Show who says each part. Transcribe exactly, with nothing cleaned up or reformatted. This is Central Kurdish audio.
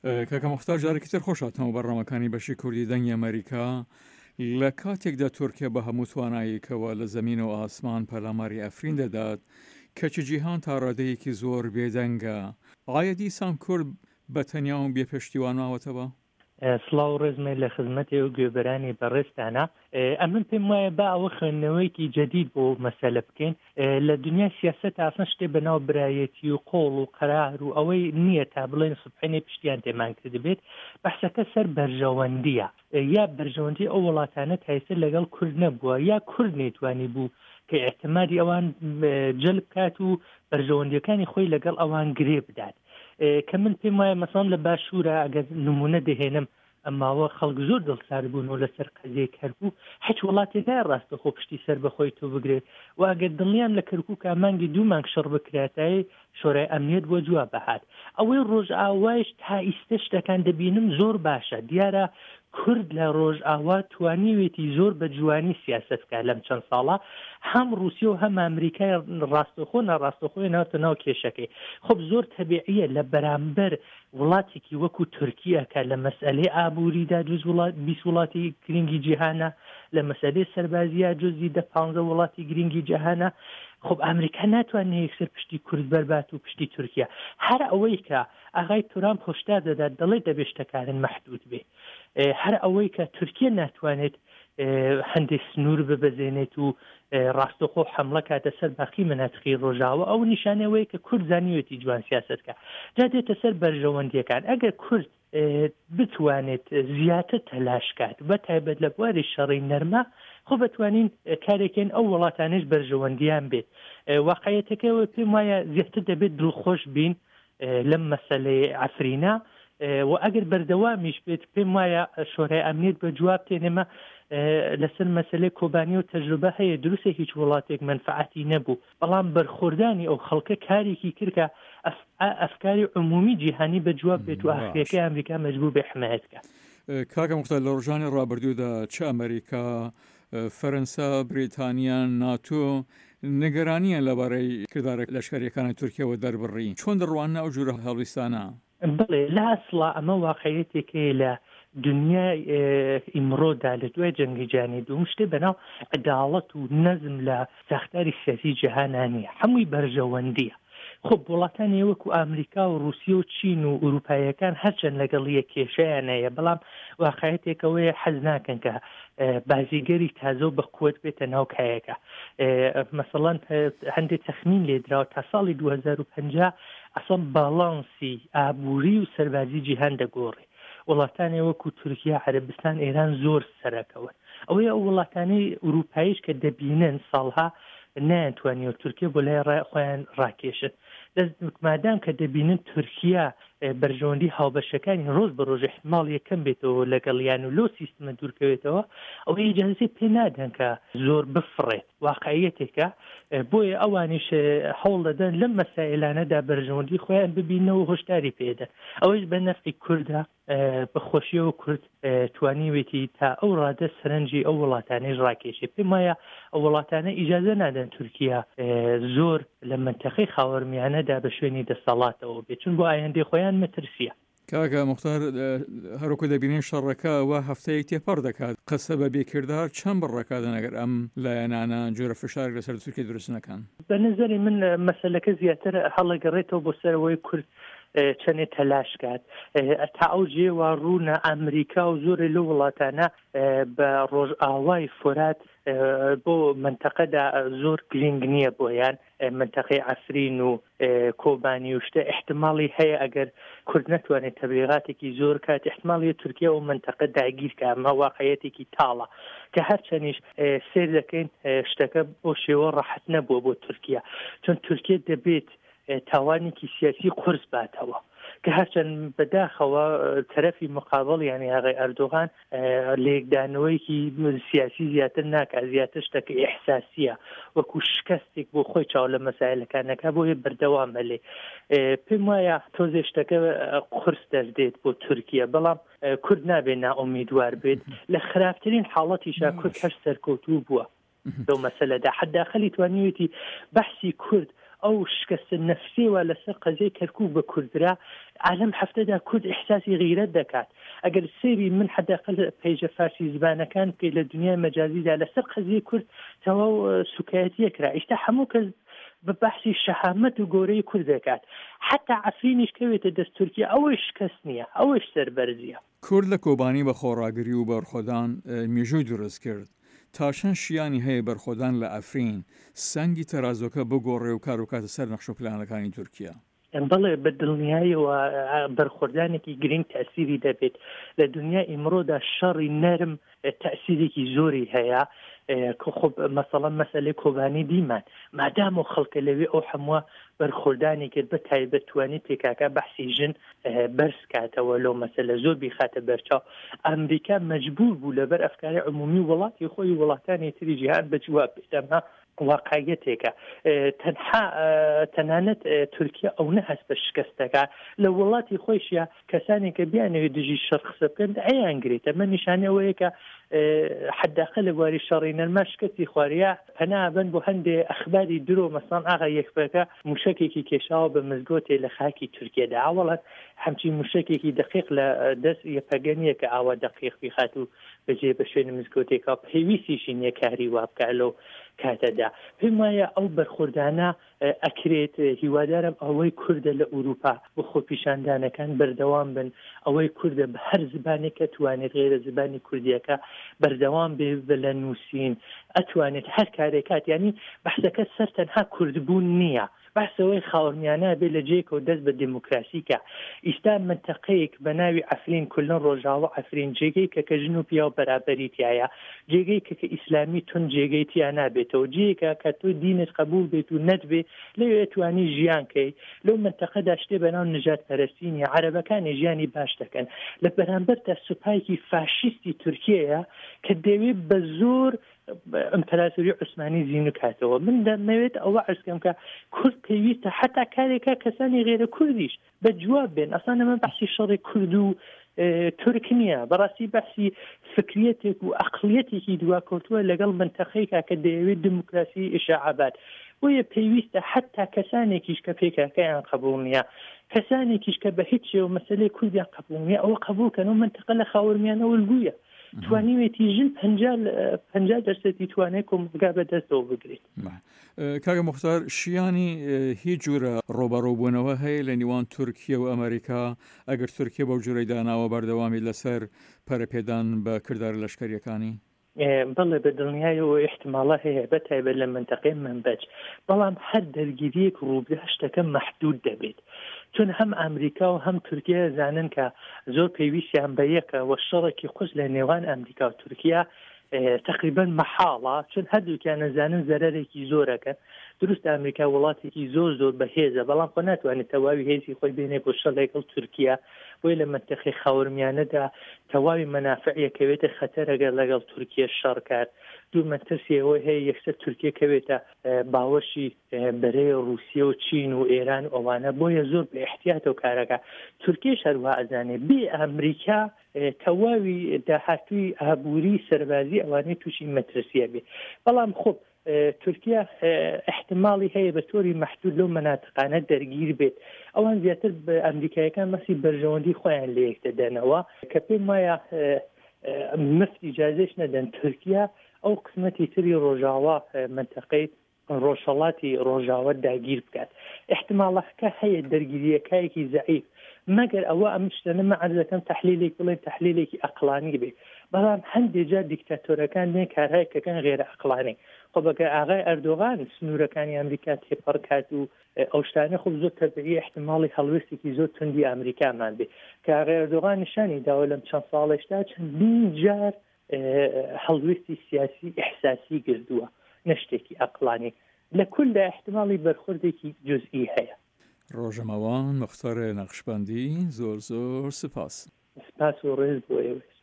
Speaker 1: کاکە موختار جارێکی تر خۆش هاتنەوە بەرنامەکانی بەشی کوردی دەنگی ئەمەریکا. لە کاتێکدا تورکیا بە هەموو توانایەکەوە لە زەمین و ئاسمان پەلاماری ئەفرین دەدات، کەچی جیهان تا ڕادەیەکی زۆر بێدەنگە. ئایا دیسان کورد بە تەنیا و بێ پشتیوان ماوەتەوە؟
Speaker 2: سڵاو و ڕێزمێ لە خزمەتی و گوێبەرانی بەڕێزتانە. ئەمن پێم وایە با ئەوە خوێندنەوەیەکی جەدید بۆ مەسەلە بکەین. لە دنیای سیاسەت ئاسان شتێ بە ناو برایەتی و قۆڵ و قەرار و ئەوەی نییە تا بڵێن سوبحێنێ پشتیان تێمان کردبێت. بەحسەکە سەر بەرژەوەندیە، یا بەرژەوەندی ئەو وڵاتانە تایسە لەگەڵ کورد نەبووە، یا کورد نەیتوانی بوو کە ئیعتمادی ئەوان جەلب کات و بەرژەوەندیەکانی خۆی لەگەڵ ئەوان گرێ بدات. کە من پێم وایە مەسەڵەن لە باشوورە ئەگەر نمونە دەهێنم، ئەماوە خەڵک زۆر دڵسارد بوون و لەسەر قەزیەی کەرکوک هیچ وڵاتێ نایە ڕاستەخۆ پشتی سەر بەخۆی تۆ بگرێت و ئەگەر دڵنیام لە کەرکوک مانگی دوو مانگ شەڕ بکراتای شۆرای ئەمنیەت بۆ جواب بەهات. ئەوەی ڕۆژئاوایش تا ئیستە شتەکان دەبینم زۆر باشە. دیارە کورد لە ڕۆژئاوا توانیوێتی زۆر بە جوانی سیاسەت بکات لەم چەند ساڵە، هەم ڕوسیە و هەم ئەمریکای ڕاستەخۆ ناڕاستەخۆی ناوتە ناو کێشەکەی. خب زۆر تەبیعیە لە بەرامبەر وڵاتێکی وەکو تورکیا کە لە مەسئلەی ئابووریدا جز وڵات بیست وڵاتی گرنگی جیهانە، لە مەسئلەی سەربازیە جزی دە پانزە وڵاتی گرنگی جیهانە، خب ئەمریکا ناتوانێت یەکسەر پشتی کورد بەربات و پشتی تورکیا. هەر ئەوەی کە ئاغای ترامپ هۆشدار دەدات دەڵێ دەبێت شتەکانن مەحدود بێ، هەر ئەوەی کە تورکیا ناتوانێت هەندێک سنوور ببەزێنێت و ڕاستەخۆ حملە کاتە سەر باقی مناتقی ڕۆژاوە، ئەو نیشانەوەی کە کورد زانیوێتی جوان سیاسەت کە جا دێتە سەر بەرژەوەندیەکان. ئەگەر کورد بتوانێت زیاتر تەلاش کات بە تایبەت لە بواری شەڕی نەرمە، خۆ بتوانین کارێکین ئەو وڵاتانش بەرژەوەندیان بێت. واقعیەتەکەەوە پێم وایە زیاتر دەبێت دڵخۆش بین لەم مەسەلەی عەفرینە، و ئەگەر بەردەوامیش بێت پێم وایە شۆرای ئەمنیەت بە جواب تێنێمە لەسەر مەسەلەی کۆبانی و تەجروبە هەیە. دروستە هیچ وڵاتێک مەنفعەتی نەبوو، بەڵام بەرخۆردانی ئەو خەڵکە کارێکی کرد کە ئەفکاری عمومی جیهانی بە جواب بێت و ئاخرەکەی ئەمریکا مەجبور بێ حمایەت بکات.
Speaker 1: کاکە موختار، لە ڕۆژانی ڕابردوودا چ ئەمریکا، فەرەنسا، بریتانیا، ناتۆ نیگەرانیان لەبارەی کردارە لەشکریەکانی تورکیاوە دەربڕی، چۆن دەڕواننە ئەو جورە هەڵویستانە؟
Speaker 2: بڵێ لە ئەسڵا ئەمە واقعیەتێکەیە لە دنیای ئیمڕۆدا لە دوای جەنگی جیهانی دووەم شتێ بەناو عەداڵەت و نەزم لە ساختاری سیاسی جیهانا نییە، هەمووی بەرژەوەندیە. خب وڵاتانی وەکو ئەمریکا و رووسیا و چین و ئەوروپاییەکان هەرچەند لەگەڵ یەک کێشەیان هەیە، بەڵام واقعیەتێکەوەیە حەز ناکەن کە بازیگەری تازە و بە قوت بێتە ناو کایەکە. مەسەڵەن هەندێک تەخمین لێدراوە تا ساڵی دوو هەزار و پەنجا ئەسڵ باڵانسی ئابووری و سەربازی جیهان دەگۆڕێ. وڵاتانی وەکو تورکیا، عەرەبستان، ئێران زۆر سەرەکەون. ئەوەی ئەو وڵاتانەی ئەوروپاییش کە دەبینن ساڵها نایانتوانیەوە تورکیا بۆ لای خۆیان ڕاکێشن. دەست مادام کە دەبینن تورکیا بەرژەوەندی هاوبەشەکانی ڕۆژ بە ڕۆژ احتمال یەکەم بێتەوە لەگەڵیان و لەو سیستمە دوورکەوێتەوە، ئەوەی ئیجازەی پێ نادەن کە زۆر بفڕێت. واقعیەتێکە، بۆیە ئەوانیش هەوڵ دەدەن لەم مەسائلانەدا بەرژەوەندی خۆیان ببینەوە و هۆشداری پێدەن. ئەوەیش بە نەفعی کوردە، بەخۆشیەوە کورد توانیوێتی تا ئەو ڕادە سەرنجی ئەو وڵاتانەیش ڕاکێشێ. پێم وایە ئەو وڵاتانە ئیجازە نادەن تورکیا زۆر لە منتەقەی خاوەرمیانەدا بە شوێنی دەسەڵاتەوە بێت، چون بۆ ئایندەی خۆیان مەترسیە.
Speaker 1: کاکە موختار، هەروەکو دەبینین شەڕەکە وا هەفتەیەک تێپەڕ دەکات، قسە بە بێکردار چەند بڕەکاتن ئەگەر ئەم لایەنانە جۆرە فشارێک لەسەر تورکیا دروست نەکەن؟
Speaker 2: بە نظری من مەسەلەکە زیاتر هەڵەگەڕێتەوە بۆ سەرەوەی کورد چەندێ تەلاش کات. تا ئەو جێوە ڕوونە ئەمریکا و زۆرێ لەو وڵاتانە بە ڕۆژئاوای فۆرات بۆ منتەقەدا زۆر گرنگ نییە بۆیان. منتەقەی عەفرین و کۆبانی و شتە احتمالی هەیە ئەگەر کورد نەتوانێت تەبلیغاتێکی زۆر کات، احتمالی تورکیا و منتەقە داگیر کە. ئەمە واقعیەتێکی تاڵە کە هەرچەنیش سێر دەکەین شتەکە بۆ شێوە ڕەحەت نەبووە بۆ تورکیا، چون تورکیا دەبێت تاوانێکی سیاسی قورس باتەوە کە هەرچەند بەداخەوە تەرەفی مقابل یعنی ئاغای ئەردۆغان لێکدانەوەیەکی سیاسی زیاتر ناکات، زیاتر شتەکە ئیحساسیە وەکو شکستێک بۆ خۆی چاو لە مەسایلەکانەکە بۆیە بەردەوام هەلێ. پێم وایە تۆزێ شتەکە قورس دەردێت بۆ تورکیا، بەڵام کورد نابێت نائومیدوار بێت. لە خراپترین حاڵەتیشا کورد هەر سەرکەوتوو بووە لەو مەسەلەدا، حەداخەلی توانیوێتی بەحسی کورد ئەو شکەستە نەفسیەوە لەسەر قەزیەی کەرکوک بە کوردرا عالەم هەفتەدا کورد ئیحساسی غیرەت دەکات ئەگەر سەیری من حداقل پەیجە فارسی زبانەکان بکەیت لە دنیای مەجازیدا لەسەر قەزیەی کورد تەواو سوکایەتیە کرا ئیستا هەموو کەس بە بەحسی شەهامەت و گەورەی کورد دەکات حتا عەفرینیش کەوێتە دەست تورکیا ئەوەیش شکەست نییە ئەوەیش سەربەرزیە.
Speaker 1: کورد لە کۆبانی بە خۆڕاگری و بەرخۆدان مێژووی دروست کرد، تا چەند شیانی هەیە بەرخۆدان لە عەفرین سەنگی تەرازوەکە بگۆڕێ و کار بکاتە سەر نەخشە و پلانەکانی تورکیا؟
Speaker 2: بەڵێ بە دڵنیایەوە بەرخۆردانێکی گرنگ تەئسیری دەبێت. لە دنیای ئیمڕۆدا شەڕی نەرم تەئسیرێکی زۆری هەیە. خب مەسەڵەن مەسەلەی کۆبانی دیمان مادام و خەڵکە لەوێ ئەو هەمووە بەرخۆردانی کرد بە تایبەت توانی پێکاکە بەحسی ژن بەرز کاتەوە لەو مەسەلە زۆر بیخاتە بەرچاو ئەمریکا مەجبور بوو لەبەر ئەفکاری عمومی وڵاتی خۆی وڵاتانی تری جیهان بە جواب بێت ئەمە واقعیەتێکە تەنها تەنانەت تورکیا ئەو نە هەست بە شکستەکە لە وڵاتی خۆیشە کەسانێک کە بیانەوێت دژی شەڕ قسە بکەن ئەیانگرێت ئەمە نیشانەی ئەوەیە کە حداقل لە بواری شەڕی نەرما شکستی خواریە پەنا بن بۆ هەندێ ئەخباری درۆ مەسەڵەن ئاغا یەکپەکە موشەکێکی کێشاوە بە مزگەوتێ لە خاکی تورکیەدا ئاوەڵەن هەمچی موشەکێکی دقیق لە دەست یەپەگە نییە کە ئاوا دقیق بیخات و بەجێ بە شوێنی مزگەوتێکا پێویستیشی نییە کاری وا بکا لەو کاتەدا پێم وایە ئەو بەرخوردانە ئەکرێت هیوادارم ئەوەی کوردە لە ئوروپا بۆ خۆپیشاندانەکان بەردەوام بن ئەوەی کوردە بە هەر زبانێک کە توانێت غێرە زبانی کوردیەکە بەردەوام بێ لە نووسین ئەتوانێت هەر کارێکات یعنی بەحسەکە سەر تەنها کوردبوون نییە بەحس ئەوەی خاوەرمیانە بێ لە جێیەکەوە دەست بە دێموکراسی کا. ئیستا مەنتەقەیەک بە ناوی عەفرین کوللەن ڕۆژاوا عەفرین جێگەیکە کە ژن و پیاو بەرابەری تیایە، جێگەیکە کە ئیسلامی توند جێگەی تیا نابێتەوە، جێیەکە کە تۆ دینت قەبووڵ بێت و نەتبێ لەوێ ئەتوانی ژیان کەی. لەو مەنتەقەدا شتێ بە ناو نژادپەرەستی نییە، عەرەبەکانی ژیانی باش دەکەن. لە بەرامبەرتا سوپایەکی فاشیستی تورکیەیە کە دەیەوێ بە زۆر ئیمپراتۆری عوسمانی زیندوو کاتەوە. من دەمەوێت ئەوە عەرز کەم کە کورد پێویستە حتا کارێکە کەسانی غێرە کوردیش بە جواب بێن. ئەسڵەن ئەمە بەحسی شەڕی کورد و تورک نییە، بەڕاستی بەحسی فکریەتێک و ئەقلیەتێکی دواکەوتووە لەگەڵ منتەقەیەکا کە دەیەوێت دموکراسی ئیشاعە بات. بۆیە پێویستە حتا کەسانێکیش کە پێکاکەیان قبوڵ نییە، کەسانێکیش کە بە هیچ شێوە مەسەلەی کوردیان قبوڵ نییە، ئەوە قبوڵ کەن و منتەقە لە خاوەرمیانە الگویە. توانیوێتی ژن پەنجا دەرسەتی توانای کۆمەڵگا بەدەستەوە بگرێت.
Speaker 1: کاکە موختار، شیانی هیچ جورە ڕوبەڕووبوونەوە هەیە لە نێوان تورکیە و ئەمریکا ئەگەر تورکیە بەو جورەی داناوە بەردەوامی لەسەر پەرەپێدان بە کردارە لەشکەریەکانی؟
Speaker 2: بەڵێ بە دڵنیایەوە ئیحتیماڵە هەیە بە تایبەت لە مەنتەقەی مەنبەج، بەڵام هەر دەرگیریەک ڕووبدا شتەکە مەحدود دەبێت، چون هەم ئەمریکا و هەم تورکیا زانن کە زۆر پێویستیان بە یەکە و شەڕێکی قورس لە نێوان ئەمریکا و تورکیا تقریبا مەحاڵە، چون هەردووکیان نەزانن زەرەرێکی زۆرەکەن. دروست ئەمریکا وڵاتێکی زۆر زۆر بەهێزە، بەڵام خۆ ناتوانێت تەواوی هێزی خۆی بێنێ بۆ شەڕ لەگەڵ تورکیا، بۆیە لە مەنتەقەی خاوەرمیانەدا تەواوی مەنافعیە کەوێتە خەتەر ئەگەر لەگەڵ تورکیا شەڕ کات. دوو مەترسی ئەوەی هەیە یەکسەر تورکیا کەوێتە باوەشی بەرەی ڕوسیە و چین و ئێران و ئەوانە، بۆیە زۆر بە ئیحتیاتەوە کارەکە. تورکیش هەروها ئەزانێ بێ ئەمریکا تەواوی داهاتووی ئابووری سەربازی ئەوانەی تووشی مەترسیە بێ. بەڵام خۆ تورکیا احتمالی هەیە بە تۆری مەحدود لەو مەناتقانە دەرگیر بێت. ئەوان زیاتر ئەمریکایەکان مەسی بەرژەوەندی خۆیان لە یەک دەدەنەوە کە پێم وایە مفت ئیجازەش نەدەن تورکیا ئەو قسمەتی تری ڕۆژاوا مەنتەقەی ڕۆژهەڵاتی ڕۆژاوا داگیر بکات. احتمالەکە هەیە دەرگیریەکایەکی زەعیف، مەگەر ئەوە ئەم شتانە من عەرز دەکەم تەحلیلێک بڵێن تەحلیلێکی ئەقڵانی بێ، بەڵام هەندێک جار دیکتاتۆرەکان دێن کارهایەکەکان غێرە ئەقڵانی. خۆ بەگەر ئاغای ئەردۆغان سنوورەکانی ئەمریکا تێپەڕ کات و ئەو شتانە خۆ زۆر تەبیعی احتماڵی هەڵوێستێکی زۆر توندی ئەمریکامان بێ کە ئاغای ئەردۆغان نیشانی داوە لەم چەند ساڵێشتا چەندین جار هەڵوێستی سیاسی ئیحساسی گردووە نە شتێکی ئەقڵانی. لە کولدا احتماڵی بەرخوردێکی جوزئی هەیە.
Speaker 1: ڕۆژەمەوان موختار نەقشبەندی زۆر زۆر سپاس.
Speaker 2: سپاس و ڕێز بۆ ئێوەش.